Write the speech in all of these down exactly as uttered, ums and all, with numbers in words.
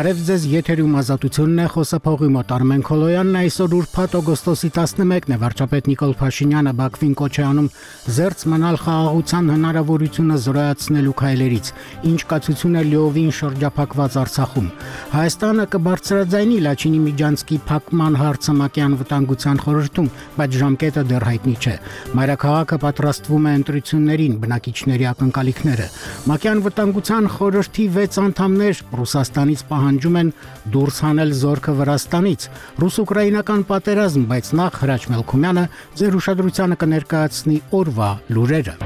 Բարև ձեզ, եթերում ազատությունն է, խոսափողի մոտ Արմեն Քոլոյանն, այսօր ուրբաթ օգոստոսի տասնմեկն է, վարչապետ Նիկոլ Փաշինյանը Բաքվին կոչ է անում զերծ մնալ խաղաղության հնարավորությունը զրոյացնելու քայլերից, ինչ կացություն է լիովին շրջափակված Արցախում։ Հայաստանը կբարձրաձայնի Լաչինի Միջանցքի փակման հարցը ՄԱԿ-ի անվտանգության խորհրդում, բայց ժամկետը դեռ հայտնի չէ։ Մայրաքաղաքը պատրաստվում է ընտրություններին, բնակիչների ակնկալիքները։ ՄԱԿ-ի անվտանգության խորհրդի վեց անդամներ Ռուսաստանից պահանջում են դուրս հանել զորքը Վրաստանից։ Ռուս-ուկրաինական պատերազմ, բայց նախ Հրաչ Մելքումյանը ձեր ուշադրությանը կներկայացնի օրվա լուրերը։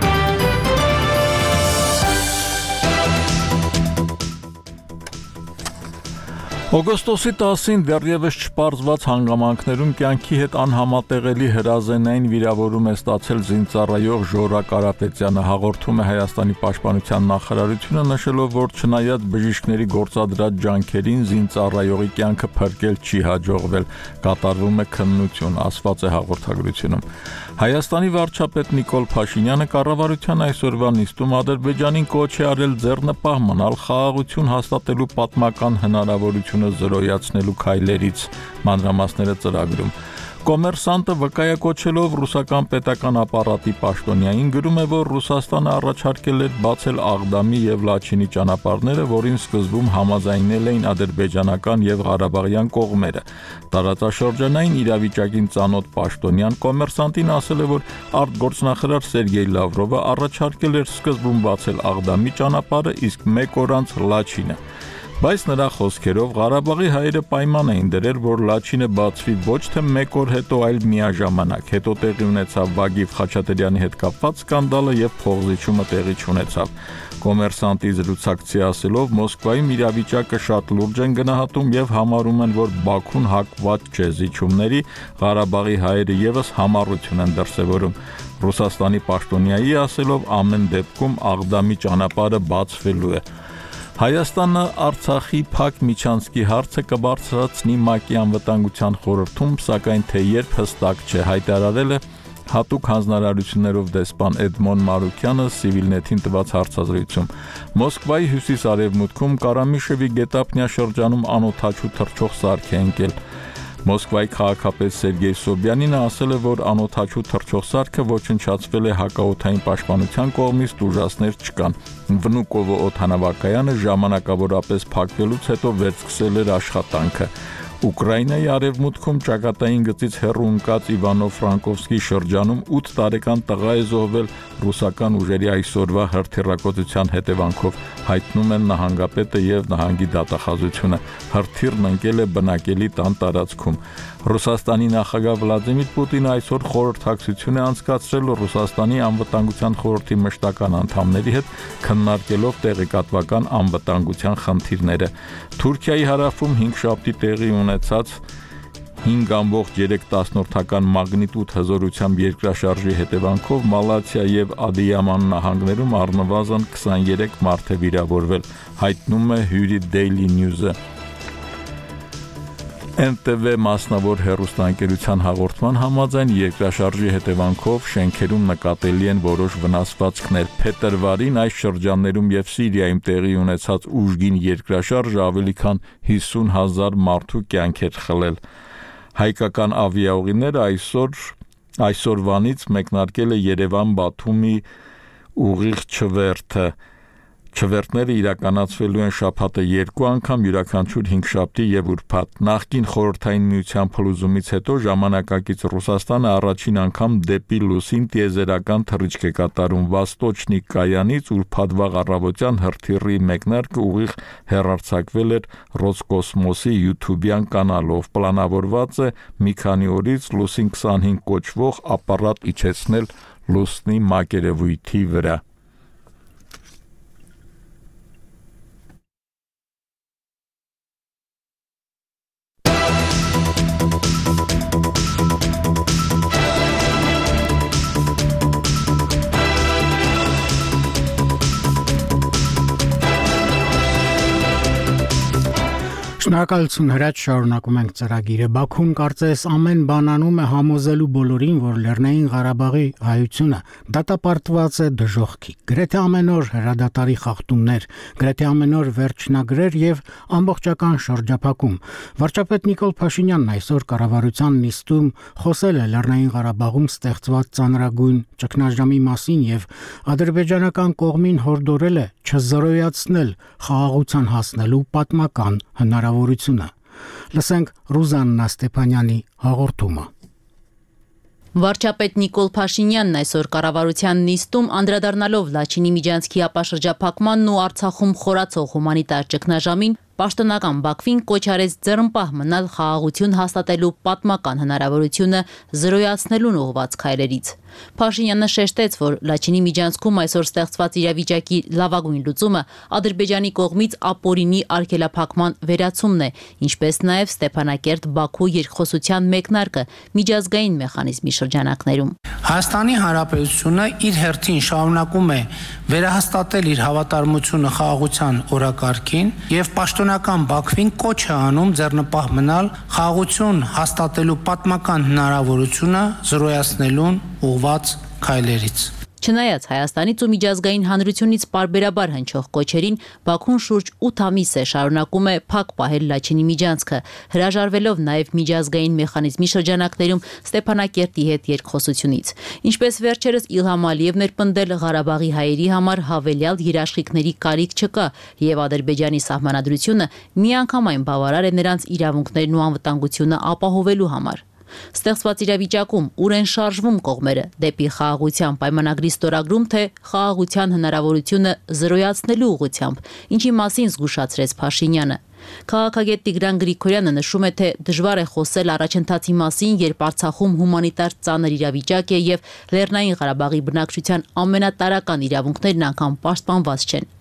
Օգոստոսի տասին դեռևս չպարզված հանգամանքներում կյանքի հետ անհամատեղելի հրազենային վիրավորում է ստացել զինծառայող Ժորա Կարապետյանը, հաղորդում է Հայաստանի պաշտպանության նախարարությունը, նշելով, որ չնայած բժիշկների գործադրած ջանքերին զինծառայողի կյանքը փրկել չի հաջողվել, կատարվում է քննություն, ասված է հաղորդագրությունում։ Հայաստանի վարչապետ Նիկոլ Փաշինյանը կառավարության այսօրվա նիստում Ադրբեջանին կոչ է արել ձեռնպահ մնալ խաղաղություն հաստատելու պատմական հնարավորությունը զրոյացնելու քայլերից, մանրամասները ծրագրում։ Կոմերսանտը վկայակոչելով ռուսական պետական ապարատի պաշտոնյային գրում է, որ Ռուսաստանը առաջարկել էր բացել Աղդամի եւ Լաչինի ճանապարհները, որին սկզբում համաձայնել էին ադրբեջանական եւ ղարաբաղյան կողմերը։ Տարածաշրջանային իրավիճակին ծանոթ պաշտոնյան Կոմերսանտին ասել է, որ արտգործնախարար Սերգեյ Լավրովը առաջարկել էր սկզբում բացել Աղդամի ճանապարհը, իսկ մեկ օր անց Լաչինը։ Բայց նրա խոսքերով Ղարաբաղի հայերը պայման էին դրել, որ Լաչինը բացվի ոչ թե մեկ օր հետո, այլ միաժամանակ։ Հետո տեղի ունեցավ Վագիվ Խաչատրյանի հետ կապված սկանդալը եւ փողզիչումը տեղի չունեցավ։ Կոմերսանտի զրուցակցի ասելով, Մոսկվայում իրավիճակը շատ լուրջ են գնահատում եւ համարում են, որ Բաքուն հակված չէ զիջումների, Ղարաբաղի հայերը եւս համառություն են դրսեւորում։ Ռուսաստանի պաշտոնյայի ասելով, ամեն դեպքում Աղդամի ճանապարհը բացվելու է։ Հայաստանը Արցախի փակ միջանցքի հարցը կբարձրացնի ՄԱԿ-ի անվտանգության խորհրդում, սակայն թե երբ հստակ չէ, հայտարարել է հատուկ հանձնարարություններով դեսպան Էդմոն Մարուկյանը Civilnet-ին տված հարցազրույցում։ Մոսկվայի հյուսիս-արևմուտքում Կարամիշևի գետափնյա շրջանում անօդաչու թռչող սարք է ընկել։ Մոսկվայի քաղաքապետ Սերգեյ Սոբյանինը ասել է, որ անօդաչու թռչող սարքը ոչնչացվել է հակաօդային պաշտպանության կողմից, տուժածներ չկան։ Վնուկովո օդանավակայանը ժամանակավորապես փակվելուց հետո վերսկսել էր աշխատանքը։ Ուկրաինայի արևմուտքում ճակատային գծից հեռու ընկած Իվանո-Ֆրանկովսկի շրջանում ութ տարեկան տղա է զոհվել ռուսական ուժերի այսօրվա հրթիռակոծության հետևանքով, հայտնում են նահանգապետը եւ նահանգի դատախազությունը։ Հրթիռն ընկել է բնակելի տան տարածքում։ Ռուսաստանի նախագահ Վլադիմիր Պուտինը այսօր խորհրդակցություն է անցկացրել Ռուսաստանի անվտանգության խորհրդի մշտական անդամների հետ, քննարկելով տեղեկատվական անվտանգության խնդիրները։ Թուրքիայի հարավում հինգշաբթի տեղի ունեցած հինգ ամբողջ երեք տասնորդական մագնիտուդ հզորությամբ երկրաշարժի հետևանքով Մալաթիա եւ Ադիաման նահանգներում առնվազն քսաներեք մարդ է վիրավորվել, հայտնում է Հյուրի Daily News-ը։ Էն տե վե մասնավոր հեռուստաընկերության հաղորդման համաձայն երկրաշարժի հետևանքով շենքերում նկատելի են որոշ վնասվածքներ։ Փետրվարին այս շրջաններում եւ Սիրիայում տեղի ունեցած ուժգին երկրաշարժը ավելի քան հիսուն հազար մարդու կյանք էր խլել։ Հայկական ավիաուղիները այսօր այսօրվանից մեկնարկել է Երևան-Բաթումի ուղիղ չվերթը։ Չվերթները իրականացվելու են շաբաթը երկու անգամ, յուրաքանչյուր հինգշաբթի եւ ուրբաթ։ Նախկին խորհրդային միության փլուզումից հետո ժամանակակից Ռուսաստանը առաջին անգամ դեպի լուսին տիեզերական թռիչք է կատարում։ Վաստոչնի կայանից ուրբաթվա առավոտյան հրթիռի մեկնարկը ուղիղ հեռարձակվել էր Ռոսկոսմոսի YouTube-յան կանալով։ Պլանավորված է մի քանի օրից Լուսին քսանհինգ կոչվող ապարատ իջեցնել Լուսնի մակերևույթի վրա։ Շնորհակալություն հրաչ շարունակում ենք ծրագիրը Բաքուն կարծես ամեն բան անում է համոզելու բոլորին, որ Լեռնային Ղարաբաղի հայությունը դատապարտված է դժոխքի։ Գրեթե ամեն օր հրադադարի խախտումներ, գրեթե ամեն օր վերջնագրեր եւ ամբողջական շրջափակում։ Վարչապետ Նիկոլ Փաշինյանն այսօր կառավարության նիստում խոսել է Լեռնային Ղարաբաղում ստեղծված ծանրագույն ճգնաժամի մասին եւ ադրբեջանական կողմին հորդորել է չզրոյացնել խաղաղության հասնելու պատմական հնարավորությունը։ Լսենք Ռուզաննա Ստեփանյանի հաղորդումը։ Վարչապետ Նիկոլ Փաշինյանն այսօր կառավարության նիստում անդրադառնալով Լաչինի միջանցքի ապաշրջափակմանն ու Արցախում խորացող հումանիտար ճգնաժամին պաշտոնական Բաքվին կոչ արեց ձեռնպահ մնալ խաղաղություն հաստատելու պատմական հնարավորությունը զրոյացնելուն ուղղված քայլերից։ Փաշինյանը շեշտեց, որ Լաչինի միջանցքում այսօր ստեղծված իրավիճակի լավագույն լուծումը Ադրբեջանի կողմից ապօրինի արգելափակման վերացումն է, ինչպես նաև Ստեփանակերտ-Բաքու երկխոսության մեկնարկը միջազգային մեխանիզմի շրջանակներում։ Հայաստանի Հանրապետությունը իր հերթին շարունակում է վերահաստատել իր հավատարմությունը խաղաղության օրակարգին եւ պաշտոնական Բաքվին կոչ է անում ձեռնպահ մնալ խաղաղություն հաստատելու պատմական հնարավորությունը զրոյացնելուն ուղղված քայլերից։ Չնայած Հայաստանից ու միջազգային հանրությունից պարբերաբար հնչող կոչերին, Բաքուն շուրջ ութ ամիս է շարունակում է փակ պահել Լաչինի միջանցքը, հրաժարվելով նաև միջազգային մեխանիզմի շրջանակներում Ստեփանակերտի հետ երկխոսությունից։ Ինչպես վերջերս Իլհամ Ալիևն էր պնդել, Ղարաբաղի հայերի համար հավելյալ երաշխիքների կարիք չկա, եւ Ադրբեջանի սահմանադրությունը միանգամայն բավարար է նրանց իրավունքներն ու անվտանգությունը ապահովելու համար։ Ստեղծված իրավիճակում ուր են շարժվում կողմերը դեպի խաղաղության պայմանագրի ստորագրում, թե խաղաղության հնարավորությունը զրոյացնելու ուղղությամբ, ինչի մասին զգուշացրեց Փաշինյանը։ Քաղաքագետ Տիգրան Գրիգորյանը նշում է, թե դժվար է խոսել առաջընթացի մասին, երբ Արցախում հումանիտար ծանր իրավիճակ է եւ Լեռնային Ղարաբաղի բնակչության ամենատարրական իրավունքներն անգամ պաշտպանված չեն։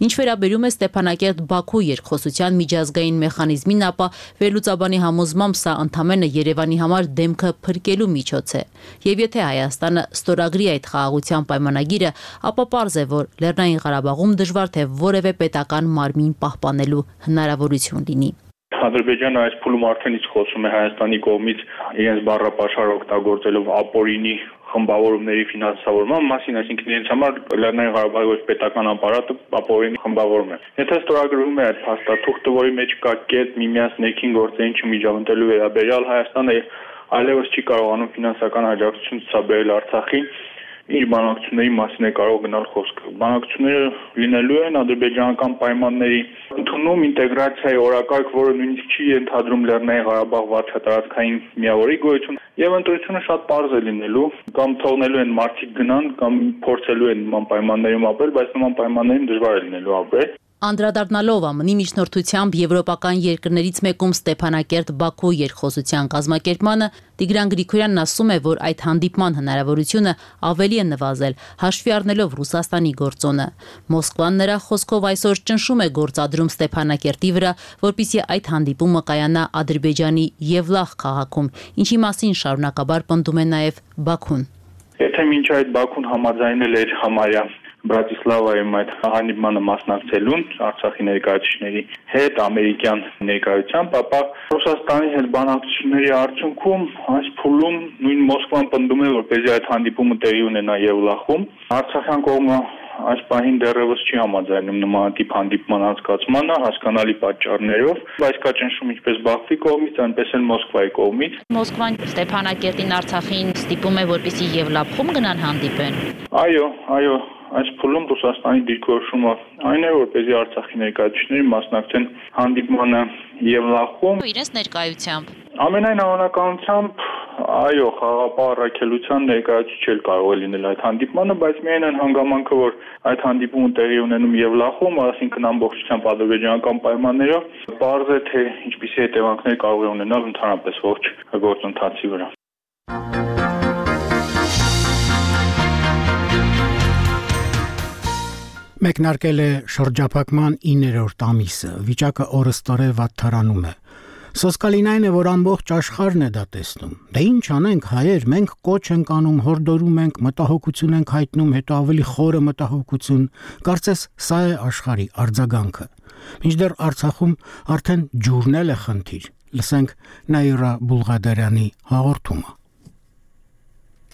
Ինչ վերաբերում է Ստեփանակերտ-Բաքու երկխոսության միջազգային մեխանիզմին, ապա վերլուծաբանի համոզմամբ սա ընդամենը Երևանի համար դեմքը փրկելու միջոց է։ Եվ եթե Հայաստանը ստորագրի այդ խաղաղության պայմանագիրը, ապա պարզ է, որ Լեռնային Ղարաբաղում դժվար թե որևէ պետական մարմին պահպանելու հնարավորություն լինի։ Ադրբեջանը այս փուլում արդեն իսկ խոսում է Հայաստանի կողմից իրենց բառապաշար օգտագործելով ապօրինի խմբավորումների ֆինանսավորման մասին, այսինքն իրենց համար Լեռնային Ղարաբաղի ոչ պետական ապարատը ապօրինի խմբավորում է։ Եթե ստորագրվում է այդ փաստաթուղթը, որի մեջ կա կետ միմյանց ներքին գործերին չմիջամտելու վերաբերյալ, Հայաստանը այլևս չի կարողանում ֆինանսական աջակցություն ցուցաբերել Արցախին, իր բանակցությունների մասին է կարող գնալ խոսքը։ Բանակցությունները լինելու են ադրբեջանական պայմանների ընդունում ինտեգրացիայի օրակարգ, որը նույնիսկ չի ենթադրում Լեռնային Ղարաբաղ վարչատարածքային միավորի գոյություն, եւ ընտրությունը շատ պարզ է լինելու, կամ թողնելու են մարդիկ գնան, կամ փորձելու են նման պայմաններում ապրել, բայց նման պայմաններում դժվար է լինելու ապրել։ Անդրադառնալով ԱՄՆ-ի միջնորդությամբ եվրոպական երկրներից մեկում Ստեփանակերտ-Բաքու երկխոսության կազմակերպմանը, Տիգրան Գրիգորյանն ասում է, որ այդ հանդիպման հնարավորությունը ավելի է նվազել, հաշվի առնելով Ռուսաստանի գործոնը։ Մոսկվան նրա խոսքով այսօր ճնշում է գործադրում Ստեփանակերտի վրա, որպեսզի այդ հանդիպումը կայանա Ադրբեջանի Եվլախ քաղաքում, ինչի մասին շարունակաբար պնդում է նաև Բաքուն։ Եթե մինչ այդ Բաքուն համաձայնել էր համարյա Բրատիսլավայում այդ հանդիպմանը մասնակցելուն Արցախի ներկայացուցիչների հետ ամերիկյան ներկայությամբ, ապա Ռուսաստանի հետ բանակցությունների արդյունքում այս փուլում նույն Մոսկվան պնդում է, որպեսզի այդ հանդիպումը տեղի ունենա Եվլախում։ Արցախյան կողմը այս պահին դեռևս չի համաձայնում նմանատիպ հանդիպման անցկացմանը հասկանալի պատճառներով, բայց կա ճնշում ինչպես Բաքվի կողմից, այնպես էլ Մոսկվայի կողմից։ Մոսկվան Ստեփանակերտին Արցախին ստիպում է, որպեսզի Եվլախում գնան հանդիպեն։ Այո, այո, այս փուլում Ռուսաստանի դիրքորոշումը այն է, որպեսզի Արցախի ներկայացուցիչները մասնակցեն հանդիպմանը Եվլախում իրենց ներկայությամբ։ Ամենայն հավանականությամբ այո, խաղաղապահ առաքելության ներկայացուցիչ էլ կարող է լինել այդ հանդիպմանը, բայց միայն այն հանգամանքը, որ այդ հանդիպումը տեղի ունենում Եվլախում, այսինքն ամբողջությամբ ադրբեջանական պայմաններով, պարզ է, թե ինչպիսի հետևանքներ կարող է ունենալ ընդհանրապես ողջ գործընթացի վրա։ Մեկնարկել է շրջափակման իններորդ ամիսը, վիճակը օրըստօրե վատթարանում է։ Սոսկալին այն է, որ ամբողջ աշխարհն է դա տեսնում։ Դե ինչ անենք հայեր, մենք կոչ ենք անում, հորդորում ենք, մտահոգություն ենք հայտնում, հետո ավելի խորը մտահոգություն։ Կարծես սա է աշխարհի արձագանքը։ Մինչդեռ Արցախում արդեն ջուրնել է խնդիր։ Լսենք Նաիրա Բուլղադարյանի հաղորդումը։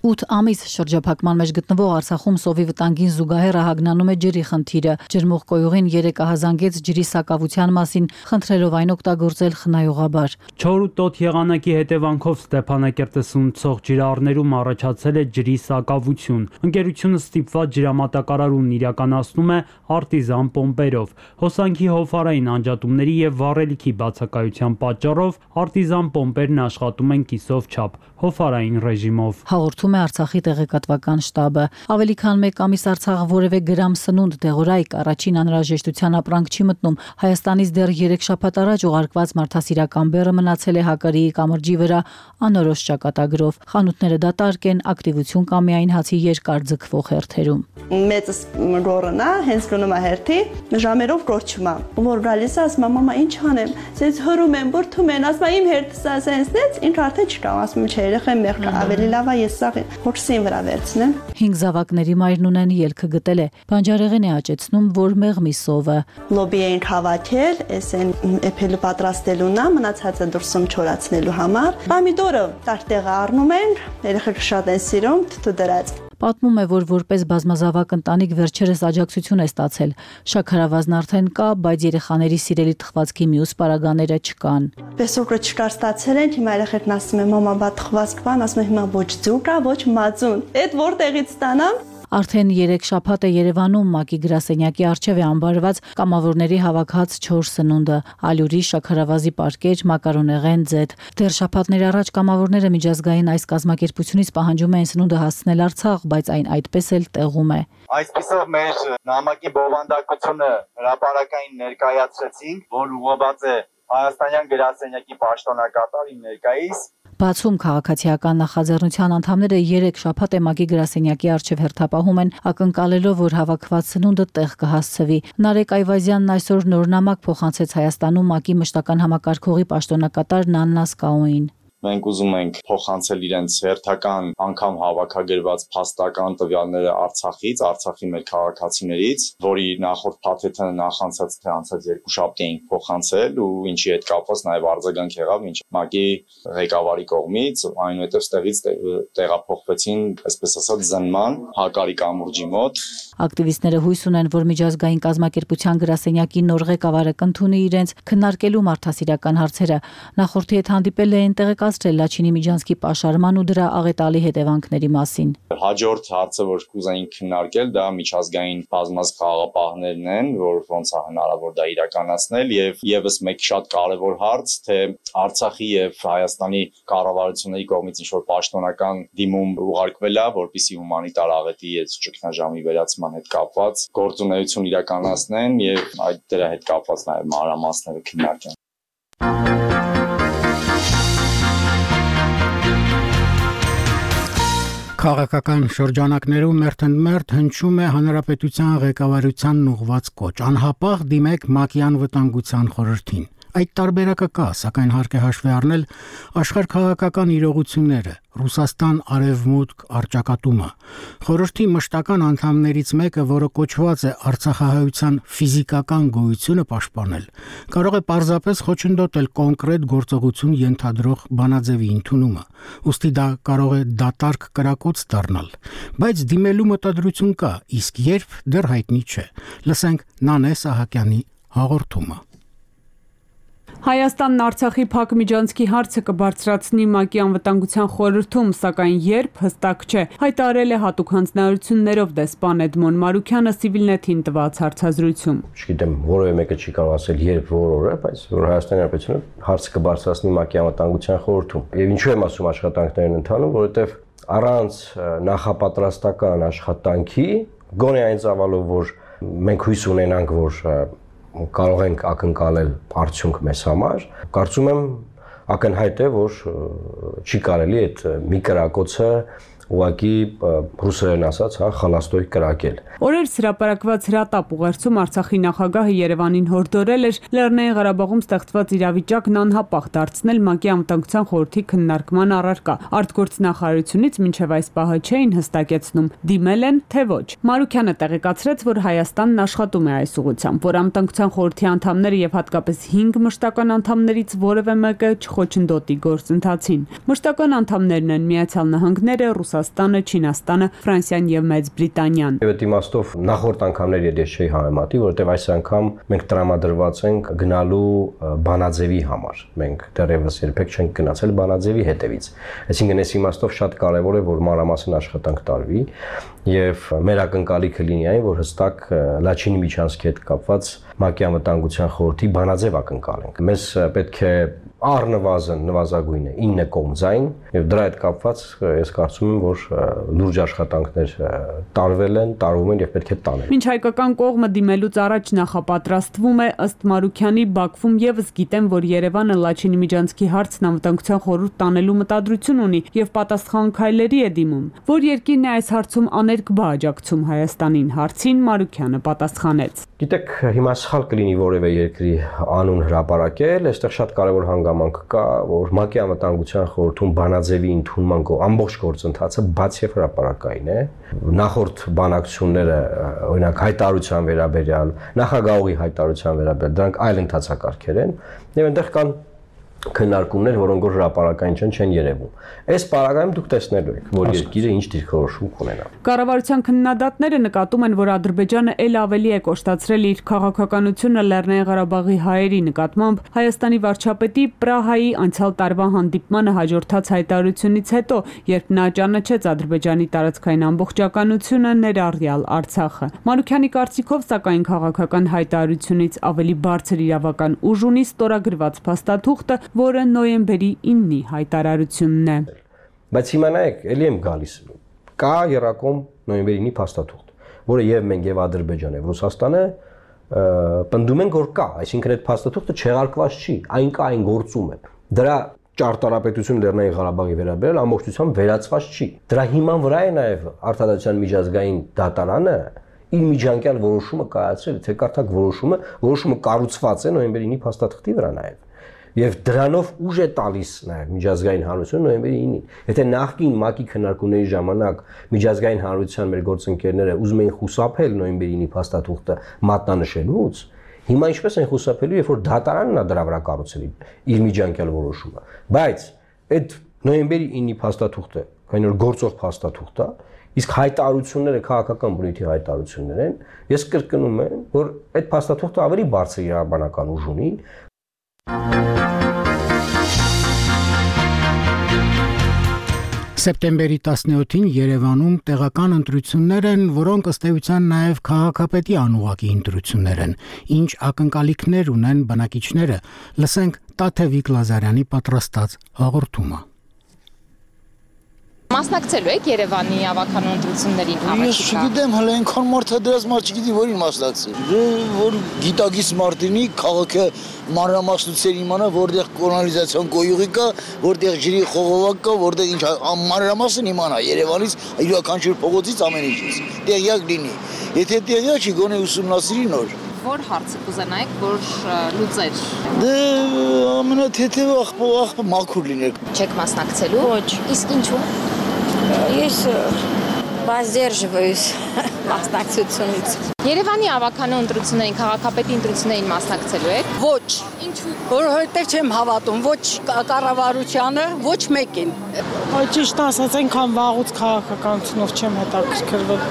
ութ ամիս շրջափակման մեջ գտնվող Արցախում սովի վտանգին զուգահեռ ահագնանում է ջրի խնդիրը։ Ջրմուղկոյուղին երեկ ահազանգեց ջրի սակավության մասին, խնդրելով այն օգտագործել խնայողաբար։ Չոր ու տոտ եղանակի հետևանքով Ստեփանակերտը սնուցող ջրառներում առաջացել է ջրի սակավություն։ Ընկերությունը ստիպված ջրամատակարարումն իրականացնում է արտիզան պոմպերով։ Հոսանքի հովհարային անջատումների եւ վառելիքի բացակայության պատճառով արտիզան պոմպերն աշխատում են կիսով չափ, հովհարային ռեժիմով։ Հաղորդում է Արցախի տեղեկատվական շտաբը։ Ավելի քան մեկ ամիս Արցախը որևէ գրամ սնունդ դեղորայք առաջին անհրաժեշտության ապրանք չի մտնում։ Հայաստանից դեռ երեք շաբաթ առաջ ուղարկված մարդասիրական բեռը մնացել է Հակարիի կամրջի վրա անորոշ ճակատագրով։ Խանութները դատարկ են, ակտիվություն կա միայն հացի երկար ձգվող հերթերում։ Մեծս գորնա, հենց գնում է հերթի, ժամերով կորչում է։ Որ գալիս է, ասում է, մամա, ինչ անեմ։ Սենց հրում եմ, բրդում են, ասում է, իմ հերթս է սենցնեց, ինչ արդեն չկա, ասում չէ, երեխան մեղք ավելի լավ է, ես սա հորսին վրա վերցնեմ։ Հինգ զավակների մայրն ունեն ելքը գտել է։ Բանջարեղեն է աճեցնում, որ մեղմի սովը։ Լոբի ենք հավաքել, էս են էփելը պատրաստելուն է, մնացածը դուրսում չորացնելու համար։ Պամիդորը տարտեղը առնում են, երեխեքը շատ են սիրում, թթու դրած։ Պատմում է, որ որպես բազմազավակ ընտանիք վերջերս աջակցություն է ստացել։ Շաքարավազն արդեն կա, բայց երեխաների սիրելի թխվածքի մյուս պարագաները չկան։ Պեսոկը չկար ստացել են, հիմա երեխեքն ասում են, մամա, բա թխվածք բան, ասում են, հիմա ոչ ձուկ կա, ոչ մածուն։ Այդ որտեղից ստանամ։ Արդեն երեք շաբաթ է Երևանում ՄԱԿ-ի գրասենյակի առջև է ամբարված կամավորների հավաքած չոր սնունդը՝ ալյուրի, շաքարավազի պարկեր, մակարոնեղեն, ձեթ։ Դեռ շաբաթներ առաջ կամավորները միջազգային այս կազմակերպությունից պահանջում էին սնունդը հասցնել Արցախ, բայց այն այդպես էլ տեղում է։ Այսպիսով մեր նամակի բովանդակությունը հրապարակային ներկայացրեցինք, որ ուղղված է Հայաստանյան գրասենյակի պաշտոնակատարին ներկայիս։ Բացում քաղաքացիական նախաձեռնության անդամները երեք շաբաթ է ՄԱԿ-ի գրասենյակի առջև հերթապահում են, ակնկալելով, որ հավաքված սնունդը տեղ կհասցվի։ Նարեկ Այվազյանն այսօր նոր նամակ փոխանցեց Հայաստանում ՄԱԿ-ի մշտական համակարգողի պաշտոնակատար Նաննա Սկաուին։ Մենք ուզում ենք փոխանցել իրենց հերթական անգամ հավաքագրված փաստական տվյալները Արցախից, Արցախի մեր քաղաքացիներից, որի նախորդ փաթեթը նախանցած թե անցած երկու շաբթի ենք փոխանցել ու ինչի հետ կապված նաև արձագանք եղավ ինչ ՄԱԿ-ի ղեկավարի կողմից, այնուհետև ստեղից տեղափոխվեցին, այսպես ասած, զննման Հակարի կամուրջի մոտ։ Ակտիվիստները հույս ունեն, որ միջազգային կազմակերպության գրասենյակի նոր ղեկավարը կընդունի իրենց քննարկելու մարդասիրական հարցերը։ Նախորդի հետ հանդիպել էին տեղեկացրել Լաչինի Միջանցքի պաշարման ու դրա աղետալի հետևանքների մասին։ Հաջորդ հարցը, որ կուզեինք քննարկել, դա միջազգային բազմազգ խաղաղապահներն են, որ ոնց է հնարավոր դա իրականացնել, եւ եւս մեկ շատ կարեւոր հարց, թե Արցախի եւ Հայաստանի կառավարությունների կողմից ինչ-որ պաշտոնական դիմում ուղարկվել է, որպեսզի հումանիտար աղետի այս ճգնաժամի վերացման հետ կապված գործունեություն իրականացնեն եւ այդ դրա հետ կապված նաեւ մանրամասները քննարկեն։ Քաղաքական շրջանակներում մերթընդմերթ հնչում է հանրապետության ղեկավարությանն ուղղված կոչ. անհապաղ դիմեք ՄԱԿ-ի անվտանգության խորհրդին։ Այդ տարբերակը կա, սակայն հարկ է հաշվի առնել աշխարհքաղաքական իրողությունները, Ռուսաստան արևմուտք առճակատումը։ Խորհրդի մշտական անդամներից մեկը, որը կոչված է արցախահայության ֆիզիկական գոյությունը պաշտպանել, կարող է պարզապես խոչընդոտել կոնկրետ գործողություն ենթադրող բանաձևի ընդունումը։ Ուստի դա կարող է դատարկ կրակոց դառնալ, բայց դիմելու մտադրություն կա, իսկ երբ դեռ հայտնի չէ։ Լսենք Նանե Սահակյանի հաղորդումը։ Հայաստանն Արցախի փակ միջանցքի հարցը կբարձրացնի ՄԱԿ-ի անվտանգության խորհրդում, սակայն երբ հստակ չէ, հայտարարել է հատուկ հանձնարարություններով դեսպան Էդմոն Մարուքյանը Civilnet-ին տված հարցազրույցում։ Չգիտեմ, որևէ մեկը չի կարող ասել երբ որ օրը, բայց որ Հայաստանի Հանրապետությունը հարցը կբարձրացնի ՄԱԿ-ի անվտանգության խորհրդում։ Եվ ինչու եմ ասում աշխատանքներն ընթանում, որովհետև առանց նախապատրաստական աշխատանքի, գոնե այն ծավալով, որ մենք հույս ունենանք, որ կարող ենք ակնկալել արդյունք մեզ համար, կարծում եմ ակնհայտ է, որ չի կարելի այդ մի կրակոցը ուղղակի ռուսերեն ասած, հա, խալաստոյ կրակել։ Օրեր հրապարակված հրատապ ուղերձում Արցախի նախագահը Երևանին հորդորել էր Լեռնային Ղարաբաղում ստեղծված իրավիճակն անհապաղ դարձնել ՄԱԿ-ի անվտանգության խորհրդի քննարկման առարկա։ Արտգործնախարարությունից մինչև այս պահը չէին հստակեցնում դիմել են, թե ոչ։ Մարուքյանը տեղեկացրեց, որ Հայաստանն աշխատում է այս ուղղությամբ, որ անվտանգության խորհրդի անդամները եւ հատկապես հինգ մշտական անդամներից որևէ մեկը չխոչընդոտի գործընթացին։ Մշտական անդամներն են Միացյալ Նահանգները, Ռուսաստանը, Չինաստանը, Ֆրանսիան եւ Մեծ Բրիտանիան։ Եվ այդ իմաստով նախորդ անգամներ ես չէի համեմատի, որովհետեւ այս անգամ մենք տրամադրված ենք գնալու բանաձևի համար։ Մենք դեռևս երբեք չենք գնացել բանաձևի հետևից։ Այսինքն այս իմաստով շատ կարեւոր է, որ մանրամասն աշխատանք տարվի եւ մեր ակնկալիքը լինի այն, որ հստակ Լաչինի միջանցքի հետ կապված ՄԱԿ-ի անվտանգության խորհրդի բանաձև ակնկալենք։ Մեզ պետք է առնվազն նվազագույնը ինը կողմձայն եւ դրա հետ կապված ես կարծում եմ, որ լուրջ աշխատանքներ տարվել են, տարվում են եւ պետք է տանել։ Մինչ հայկական կողմը դիմելուց առաջ նախապատրաստվում է, ըստ Մարուքյանի, Բաքվում եւս գիտեն, որ Երևանը Լաչինի միջանցքի հարցն անվտանգության խորհուրդ տանելու մտադրություն ունի եւ պատասխան քայլերի է դիմում։ Որ երկիրն է այս հարցում աներկբա աջակցում Հայաստանին, հարցին Մարուքյանը պատասխանեց։ Գիտեք, հիմա սխալ կլինի որևէ երկրի անուն հրապարակել, այստեղ շատ կարևոր հանգամանք կա, որ ՄԱԿ-ի անվտանգության խորհրդում բանաձևի ընդունման ամբողջ գործընթացը բաց եւ հրապարակային է։ Նախորդ բանակցությունները, օրինակ հայտարարության վերաբերյալ, նախագահողի հայտարարության վերաբերյալ, դրանք այլ ընթացակարգեր են եւ այնտեղ կան քննարկումներ, որոնք որ հրապարակային չեն, չեն երևում։ Այս պարագայում դուք տեսնելու եք, որ երկիրը ինչ դիրքորոշում կունենա։ Կառավարության քննադատները նկատում են, որ Ադրբեջանը ել ավելի է կոշտացրել իր քաղաքականությունը Լեռնային Ղարաբաղի հայերի նկատմամբ Հայաստանի վարչապետի Պրահայի անցյալ տարվա հանդիպմանը հաջորդած հայտարարությունից հետո, երբ նա ճանաչեց Ադրբեջանի տարածքային ամբողջականությունը, ներառյալ Արցախը։ Մանուքյանի կարծիքով, սակայն քաղաքական հայտարարությունից ավելի բարձր իրավական ուժ ունի ստորագրված փաստաթուղթը, որը նոյեմբերի իննի հայտարարությունն է։ Բայց հիմա նայեք, ելի եմ գալիս։ Կա երակոմ նոյեմբերի իննի փաստաթուղթ, որը եւ մենք եւ Ադրբեջանը եւ Ռուսաստանը պնդում են, որ կա, այսինքն այդ փաստաթուղթը չեղարկված չի, այն կա, այն գործում է։ Դրա ճարտարապետությունը Լեռնային Ղարաբաղի վերաբերյալ ամբողջությամբ վերացված չի։ Դրա հիման վրա է նաեւ Արտադրության միջազգային դատարանը իր միջանկյալ որոշումը կայացրել, թե կարդակ որոշումը, որոշումը կառուցված է նոյեմբերի իննի փաստաթղթի վրա նաեւ։ Եվ դրանով ուժ է տալիս նաև միջազգային հանրությունը նոյեմբերի ինին։ Եթե նախկին ՄԱԿ-ի քննարկումների ժամանակ միջազգային հանրության մեր գործընկերները ուզում էին խուսափել նոյեմբերի ինի փաստաթուղթը մատնանշելուց, հիմա ինչպես են խուսափելու, երբ որ դատարանն է դրա վրա կառուցել իր միջանկյալ որոշումը։ Բայց այդ նոյեմբերի ինի փաստաթուղթը, քանի որ գործող փաստաթուղթ է, իսկ հայտարարությունները քաղաքական բնույթի հայտարարություններ են, ես կրկնում եմ, որ այդ փաստաթուղթը ավելի բարձր իրավաբանական ուժ ունի։ Սեպտեմբերի տասնյոթին Երևանում տեղական ընտրություններ են, որոնք ըստ էության նաև քաղաքապետի անուղակի ընտրություններ են։ Ինչ ակնկալիքներ ունեն բնակիչները, լսենք Տաթևիկ Լազարյանի պատրաստած հաղորդումը։ Մասնակցելու եք Երևանի ավականու ընտրություններին քաղաքի։ Ես չգիտեմ, հələ այնքան մարդ է դրած մարդ չգիտի որին մասնակցել։ Որ գիտագից մարդինի քաղաքը մանրամասնություններ իմանա, որտեղ կոլոնիզացիոն գոյուղի կա, որտեղ ջրի խողովակ կա, որտեղ ինչ մանրամասն իմանա Երևանից, յուրաքանչյուր փողոցից ամեն ինչից։ Տեղյակ լինի։ Եթե տեղյակ չի, գոնե ուսումնասիրի նոր։ Որ հարցը կուզենայիք, որ լուծեր։ Դե ամենաթեթևը աղբը աղբը մաքուր լիներ։ Չեք մասնակցելու։ Ոչ։ Իսկ ինչու։ Ես воздерживаюсь մասնակցությունից։ Երևանի ավականու ընտրություններին, քաղաքապետի ընտրություններին մասնակցելու եք։ Ոչ։ Ինչու։ Որովհետև չեմ հավատում ոչ կառավարությանը, ոչ մեկին։ Այդ ճիշտ ասած, այնքան վաղուց քաղաքականությունով չեմ հետաքրքրվել։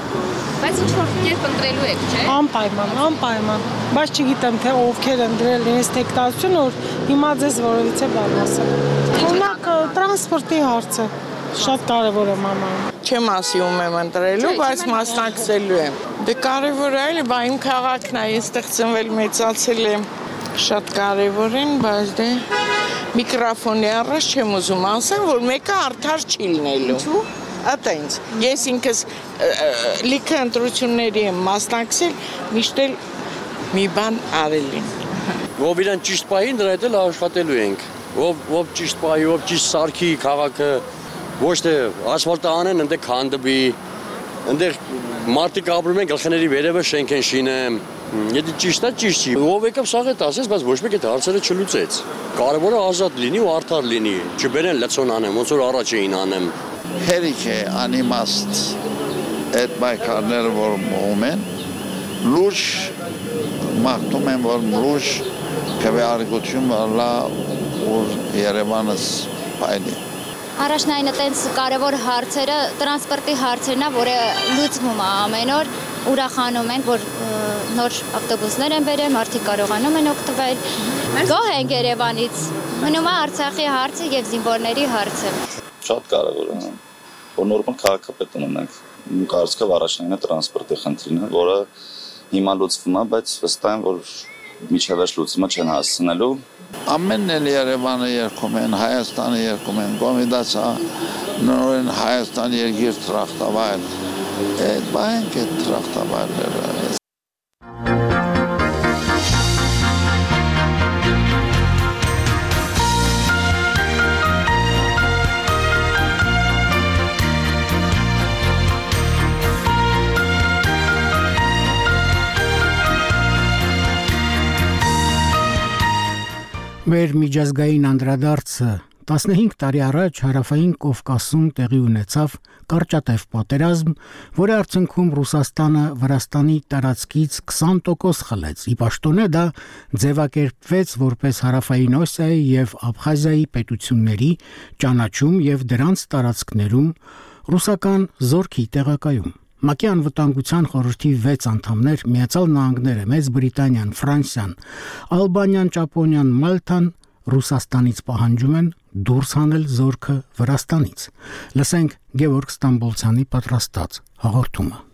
Բայց ինչ որ կերպ ընտրելու եք, չէ՞։ Անպայման, անպայման։ Բայց չգիտեմ, թե ովքեր ընտրել իրենց տեխնիկացիան, որ հիմա ձեզ որևիցե բան ասեմ։ Օրինակ տրանսպորտի հարցը շատ կարևոր է մաման։ Չեմ ասիում եմ ընտրելու, բայց մասնակցելու եմ։ Դե կարևոր է, այլ բա իմ քաղաքն է, ես ստեղծվել մեծացել եմ, շատ կարևոր են, բայց դե միկրոֆոնի առաջ չեմ ուզում ասեմ, որ մեկը արդար չի լինելու։ Ինչու։ Ատենց, ես ինքս լիքը ընտրությունների եմ մասնակցել, միշտ էլ մի բան արել եմ։ Ով իրան ճիշտ պահին դրա հետ էլ աշխատելու ենք։ Ով ով ճիշտ պահի, ով ճիշտ սարքի քաղաքը Ոչ թե ասֆալտը անեն, ընդ քանդվի, ընդ մարդիկ ապրում են գլխների վերևը շենք են շինեմ։ Եթե ճիշտ է, ճիշտ չի։ Ով եկավ սաղ է ասես, բայց ոչ մեկ այդ հարցերը չլուծեց։ Կարևորը ազատ լինի ու արդար լինի, չբերեն լցոն անեմ, ոնց որ առաջ էին անեմ։ Հերիք է անիմաստ այդ բայկարները, որ մոհում են, լուրջ մաղթում են, որ լուրջ քվեարկություն վարլա որ Երևանս պայլի։ Առաջնայինը տենց կարևոր հարցերը, տրանսպորտի հարցերն է, որը լուծվում է ամեն օր, ուրախանում ենք, որ նոր ավտոբուսներ են բերել, մարդիկ կարողանում են օգտվել։ Գոհ ենք Երևանից, մնում է Արցախի հարցը եւ զինվորների հարցը։ Շատ կարևոր է, որ նորմալ քաղաքապետ ունենանք։ Իմ կարծիքով առաջնայինը տրանսպորտի խնդիրն է, որը հիմա լուծվում է, բայց վստահ եմ, որ միջավայր լուծումը չեն հասցնելու։ Ամենն էլ Երևանը երգում են, Հայաստանը երգում են, Կոմիտասա նորեն Հայաստան երկիր տրախտավայր։ Այդ բանք է տրախտավայրները։ Մեր միջազգային անդրադարձը տասնհինգ տարի առաջ հարավային Կովկասում տեղի ունեցավ կարճատև պատերազմ, որի արդյունքում Ռուսաստանը Վրաստանի տարածքից քսան տոկոս խլեց։ Ի պաշտոնե դա ձևակերպվեց որպես Հարավային Օսիայի եւ Աբխազիայի պետությունների ճանաչում եւ դրանց տարածքներում ռուսական զորքի տեղակայում։ ՄԱԿ-ի անվտանգության խորհրդի վեց անդամներ Միացյալ Նահանգները, Մեծ Բրիտանիան, Ֆրանսիան, Ալբանիան, Ճապոնիան, Մալթան Ռուսաստանից պահանջում են դուրս հանել զորքը Վրաստանից։ Լսենք Գևորգ Ստամբոլցյանի պատրաստած հաղորդումը։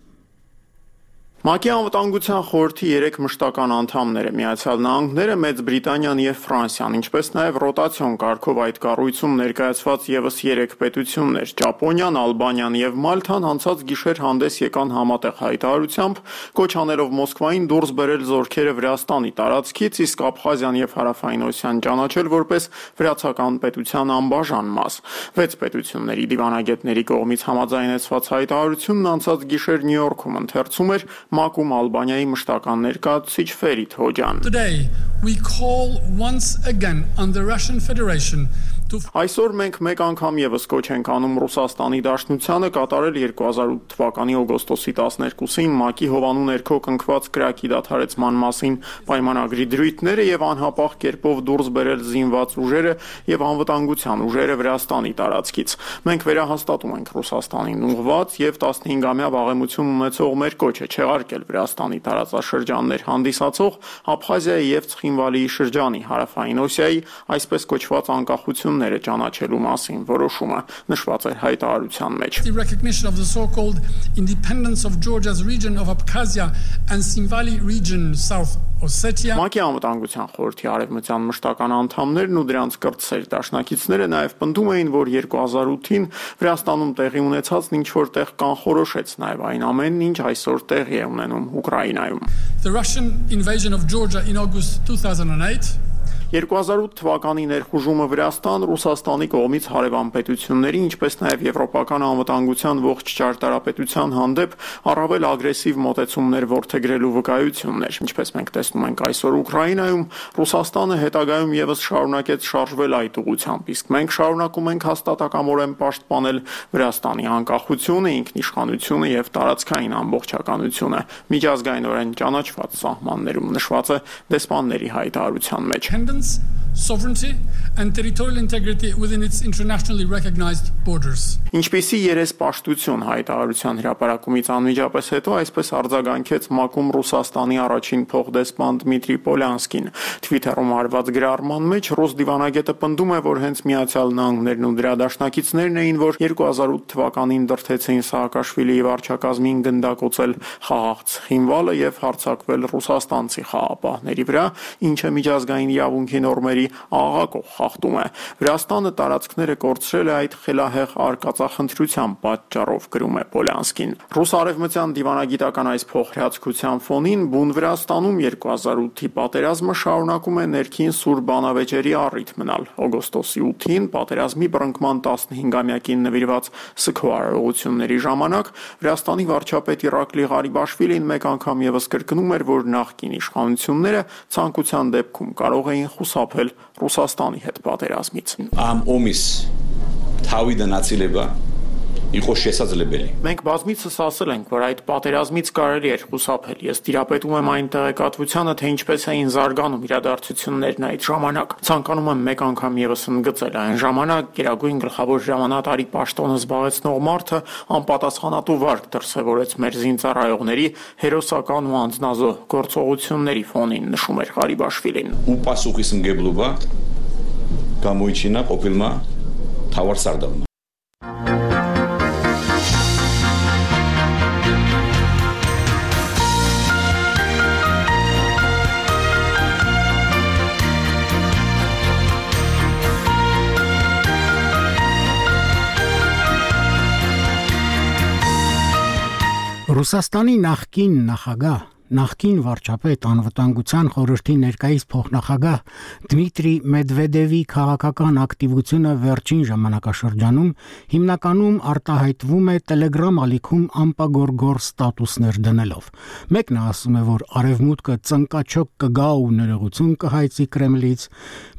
ՄԱԿ-ի անվտանգության խորհրդի երեք մշտական անդամները Միացյալ Նահանգները, Մեծ Բրիտանիան եւ Ֆրանսիան, ինչպես նաեւ ռոտացիոն կարգով այդ կառույցում ներկայացված եւս երեք պետություններ՝ Ճապոնիան, Ալբանիան եւ Մալթան անցած գիշեր հանդես եկան համատեղ հայտարարությամբ, կոչ անելով Մոսկվային դուրս բերել զորքերը Վրաստանի տարածքից, իսկ Աբխազիան եւ Հարավային Օսիան ճանաչել որպես վրացական պետության անբաժան մաս։ Վեց պետությունների դիվանագետների կողմից համաձայնեցված հայտարարությունն անցած գիշեր Նյու Յորքում ընթերցում էր ՄԱԿ-ում Ալբանիայի մշտական ներկայացուցիչ Ֆերիդ Հոջան։ Today we call once again on the Russian Federation Այսօր մենք մեկ անգամ եւս կոչ ենք անում Ռուսաստանի Դաշնությանը կատարել երկու հազար ութ թվականի օգոստոսի տասներկուսին ՄԱԿ-ի հովանու ներքո կնքված կրակի դադարեցման մասին պայմանագրի դրույթները եւ անհապաղ կերպով դուրս բերել զինված ուժերը եւ անվտանգության ուժերը Վրաստանի տարածքից։ Մենք վերահաստատում ենք Ռուսաստանին ուղղված եւ տասնհինգամյա վաղեմություն ունեցող մեր կոչը չեղարկել Վրաստանի տարածաշրջաններ հանդիսացող Աբխազիայի եւ Ցխինվալիի շրջանի Հարավային Օսիայի այսպես կոչված անկախություն ճանաչելու մասին որոշումը նշված է հայտարարության մեջ։ The recognition of the so-called independence of Georgia's region of Abkhazia and Tsinvali region South Ossetia ՄԱԿ-ի անվտանգության խորհրդի արևմտյան մշտական անդամներն ու դրանց կրտսեր դաշնակիցները նաև պնդում էին, որ երկու հազար ութին Վրաստանում տեղի ունեցածն ինչ որ տեղ կանխորոշեց նաև այն ամենն, ինչ այսօր տեղի է ունենում Ուկրաինայում։ The Russian invasion of Georgia in August two thousand eight երկու հազար ութ թվականի ներխուժումը Վրաստան Ռուսաստանի կողմից հարևան պետությունների, ինչպես նաև եվրոպական անվտանգության ողջ ճարտարապետության հանդեպ առավել ագրեսիվ մոտեցումներ որդեգրելու վկայություններ, ինչպես մենք տեսնում ենք այսօր Ուկրաինայում, Ռուսաստանը հետագայում եւս շարունակեց շարժվել այդ ուղղությամբ, իսկ մենք շարունակում ենք հաստատակամորեն պաշտպանել Վրաստանի անկախությունը, ինքնիշխանությունը եւ տարածքային ամբողջականությունը միջազգայինորեն ճանաչված սահմաններում նշված է դեսպանների հայտարարության մեջ։ Sovereignty and territorial integrity within its internationally recognized borders. Ինչպիսի երեսպաշտություն հայտարարության հրապարակումից անմիջապես հետո այսպես արձագանքեց ՄԱԿ-ում Ռուսաստանի առաջին փոխդեսպան Դմիտրի Պոլյանսկին։ Թվիթերում արված գրառման մեջ ռուս դիվանագետը պնդում է, որ հենց Միացյալ Նահանգներն ու դրա դաշնակիցներն էին, որ երկու հազար ութ թվականին դրդեցին Սաակաշվիլիի վարչակազմին գնդակոծել խաղաղ Ցխինվալը եւ հարձակվել ռուսաստանցի խաղապահների վրա, ինչը միջազգային իրավունքի նորմերի աղաղակող խախտում է։ Վրաստանը տարածքները կորցրել է այդ խելահեղ արկածախնդրության պատճառով, գրում է Պոլյանսկին։ Ռուս-արևմտյան դիվանագիտական այս փոխհրաձգության ֆոնին բուն Վրաստանում երկու հազար ութի պատերազմը շարունակում է ներքին սուր բանավեճերի առիթ մնալ։ Օգոստոսի ութին պատերազմի բռնկման տասնհինգամյակին նվիրված սգո արարողությունների ժամանակ Վրաստանի վարչապետ Իրակլի Ղարիբաշվիլին մեկ անգամ ևս կրկնում էր, որ նախկին իշխանությունները ցանկության դեպքում կարող էին խուսափել Ռուսաստանի հետ պատերազմից։ Ամ օմիս թավի դնացիլեբա Իխո შესաձլებელი։ Մենք բազմիցս ասել ենք, որ այդ պատերազմից կարելի էր խուսափել։ Ես տիրապետում եմ այն տեղեկատվությանը, թե ինչպես էին զարգանում իրադարձություններն այդ ժամանակ։ Ցանկանում եմ մեկ անգամ ևս ընդգծել, այն ժամանակ Գերագույն գլխավոր հրամանատարի պաշտոնը զբաղեցնող մարդը անպատասխանատու վարք դրսևորեց մեր զինծառայողների հերոսական ու անձնազոհ գործողությունների ֆոնին, նշում էր Ղարիբաշվիլին։ Ու պասուխիս ընկեբլուբա կամույչինա կոպիլմա թավար սարդավնա։ Ռուսաստանի նախկին նախագահ, նախկին վարչապետ անվտանգության խորհրդի ներկայիս փոխնախագահ Դմիտրի Մեդվեդևի քաղաքական ակտիվությունը վերջին ժամանակաշրջանում հիմնականում արտահայտվում է Telegram ալիքում ամպագորգոր ստատուսներ դնելով։ Մեկն ասում է, որ արևմուտքը ծնկաչոք կգա ու ներողություն կհայցի Կրեմլից,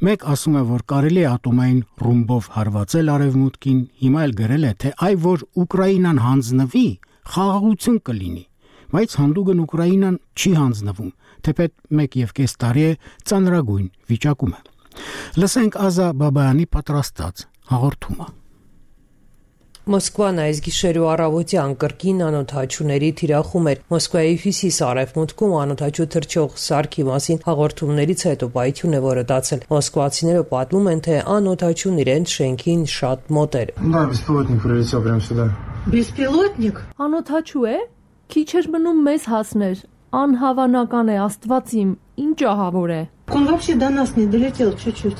մեկ ասում է, որ կարելի է ատոմային ռումբով հարվածել արևմուտքին, հիմա էլ գրել է, թե այ որ Ուկրաինան հանձնվի, խաղաղություն կլինի, բայց հանդուգն Ուկրաինան չի հանձնվում, թեպետ մեկ եւ կես տարի է ծանրագույն վիճակում է։ Լսենք Ազա Բաբայանի պատրաստած հաղորդումը։ Մոսկվան այս գիշերու առավոտյան կրկին անօդաչուների թիրախում էր։ Մոսկվայի հյուսիս-արևմուտքում անօդաչու թռչող սարքի մասին հաղորդումներից հետո պայթյուն է որոտացել։ Մոսկվացիները պատմում են, թե անօդաչուն իրենց շենքին շատ մոտ էր։ Да, беспилотник прилетел прямо сюда. Բեսպիլոտնիկ անօդաչու է, քիչ էր մնում մեզ հասներ, անհավանական է, Աստված իմ, ինչ ահավոր է։ Он вообще до нас не долетел чуть-чуть.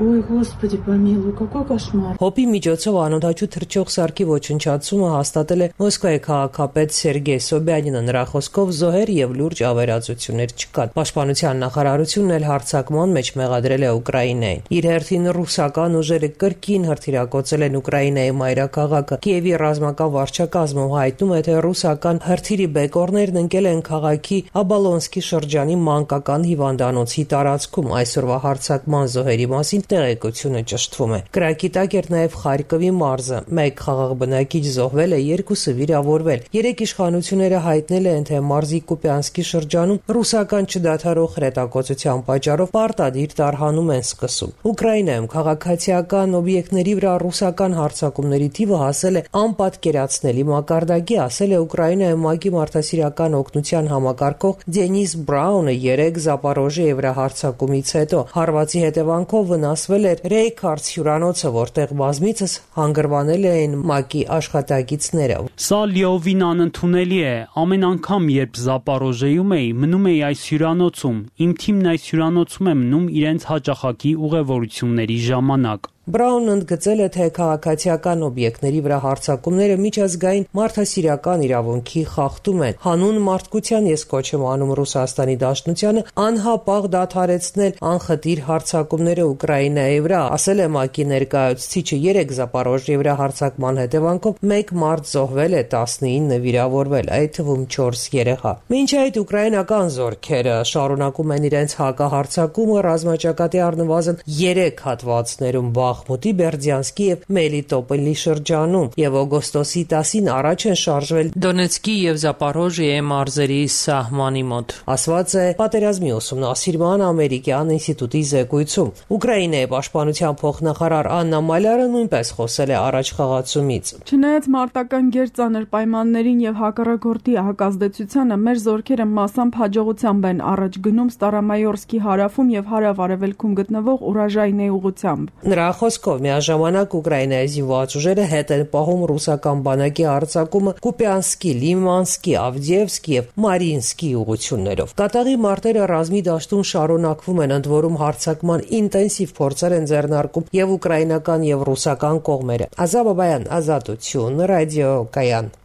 Ой, Господи, помилуй, какой кошмар. Հոպի միջոցով անօդաչու թռչող սարքի ոչնչացումը հաստատել է Մոսկվայի քաղաքապետ Սերգեյ Սոբյանինը։ Նրա խոսքով զոհեր եւ լուրջ ավերածություններ չկան։ Պաշտպանության նախարարությունն էլ հարձակման մեջ մեղադրել է Ուկրաինային։ Իր հերթին ռուսական ուժերը կրկին հրթիռակոծել են Ուկրաինայի մայրաքաղաքը։ Կիևի ռազմական վարչակազմը հայտնում է, թե ռուսական հրթիռի բեկորներն ընկել են քաղաքի Աբալոնսկի շրջանի մանկական հիվանդանոցի տարածքում։ Այսօրվա հարձակման զոհերի մասին տեղեկությունը ճշտվում է։ Կրակի տակ էր նաև Խարկովի մարզը։ Մեկ խաղաղ բնակիչ զոհվել է, երկուսը վիրավորվել։ Երեք իշխանությունները հայտնել են, թե մարզի Կուպյանսկի շրջանում ռուսական չդադարող հրետակոծության պատճառով պարտադիր տարհանում են սկսում։ Ուկրաինայում քաղաքացիական օբյեկտների վրա ռուսական հարձակումների թիվը հասել է անպատկերացնելի մակարդակի, ասել է Ուկրաինայում ՄԱԿ-ի մարդասիրական օգնության համակարգող Դենիս Բրաունը երեք Զապորոժիայի վրա հարձակումից հետո։ Հարվածի հետևանքով վնասվել էր Ռեյքարց հյուրանոցը, որտեղ բազմիցս հանգրվանել էին ՄԱԿ-ի աշխատակիցները։ Սա լիովին անընդունելի է։ Ամեն անգամ, երբ Զապորոժիայում էի, մնում էի այս հյուրանոցում։ Իմ թիմն այս հյուրանոցում է մնում իրենց հաճախակի ուղևորությունների ժամանակ։ Բրաունն ընդգծել է, թե քաղաքացիական օբյեկտների վրա հարձակումները միջազգային մարդասիրական իրավունքի խախտում են։ Հանուն մարդկության ես կոչ եմ անում Ռուսաստանի Դաշնությանը անհապաղ դադարեցնել անխտիր հարձակումները Ուկրաինայի վրա, ասել է ՄԱԿ-ի ներկայացուցիչը։ Երեք Զապորոժիայի վրա հարձակման հետևանքով մեկ մարդ զոհվել է, տասնինը վիրավորվել, այդ թվում չորս երեխա։ Մինչ այդ ուկրաինական զորքերը շարունակում են իրենց հակահարձակումը ռազմաճակատի առնվազն երեք հատվածներում Բախմուտի, Բերդյանսկի եւ Մելիտոպոլի շրջանում եւ օգոստոսի տասին առաջ են շարժվել Դոնեցկի եւ Զապորոժիայի մարզերի սահմանի մոտ, ասված է պատերազմի ուսումնասիրման ամերիկյան ինստիտուտի զեկույցում։ Ուկրաինայի պաշտպանության փոխնախարար Աննա Մալյարը նույնպես խոսել է առաջխաղացումից։ Չնայած մարտական գերծանր պայմաններին եւ հակառակորդի հակազդեցությանը, մեր զորքերը մասամբ հաջողությամբ են առաջ գնում Ստարամայորսկի հարավում եւ հարավ-արևելքում գտնվող Ուրաժայնեի ուղությամբ։ Նրա խոսքով միաժամանակ Ուկրաինայի զինված ուժերը հետ են պահում ռուսական բանակի արձակումը Կուպյանսկի, Լիմանսկի, Ավդիևսկի եւ Մարինսկի ուղություններով։ Կատաղի մարտերը ռազմի դաշտում շարունակվում են, ընդ որում հարձակման ինտենսիվ փորձեր են ձեռնարկում եւ ուկրաինական եւ ռուսական կողմերը։ Ազատ Բաբայան, Ազատություն, ռադիո Կայան։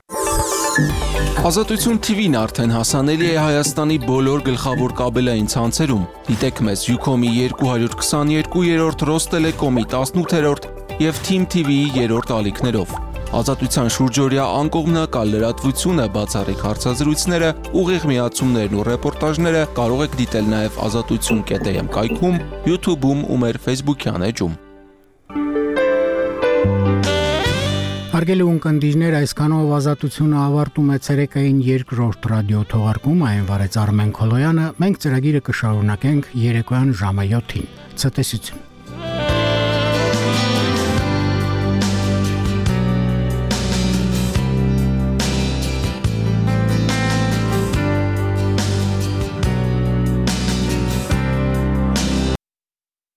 Ազատություն T V-ն արդեն հասանելի է Հայաստանի բոլոր գլխավոր կաբելային ցանցերում։ Դիտեք մեզ Ucom-ի երկու քսաներկու, Ռոստելեկոմի տասնութերորդ եւ Team T V-ի երրորդ ալիքներով։ Ազատության շուրջօրյա անկողմնակալ լրատվությունը, բացառիկ հարցազրույցները, ուղիղ միացումներն ու ռեպորտաժները կարող եք դիտել նաեւ ազատություն կետ am կայքում, YouTube-ում ու մեր Facebook-յան էջում։ Հարգելի ունկնդիրներ, այսքանով ազատությունը ավարտում է ցերեկային երկրորդ ռադիո թողարկումը, այն վարեց Արմեն Քոլոյանը, մենք ծրագիրը կշարունակենք երեկոյան ժամը յոթին։ Ցտեսություն։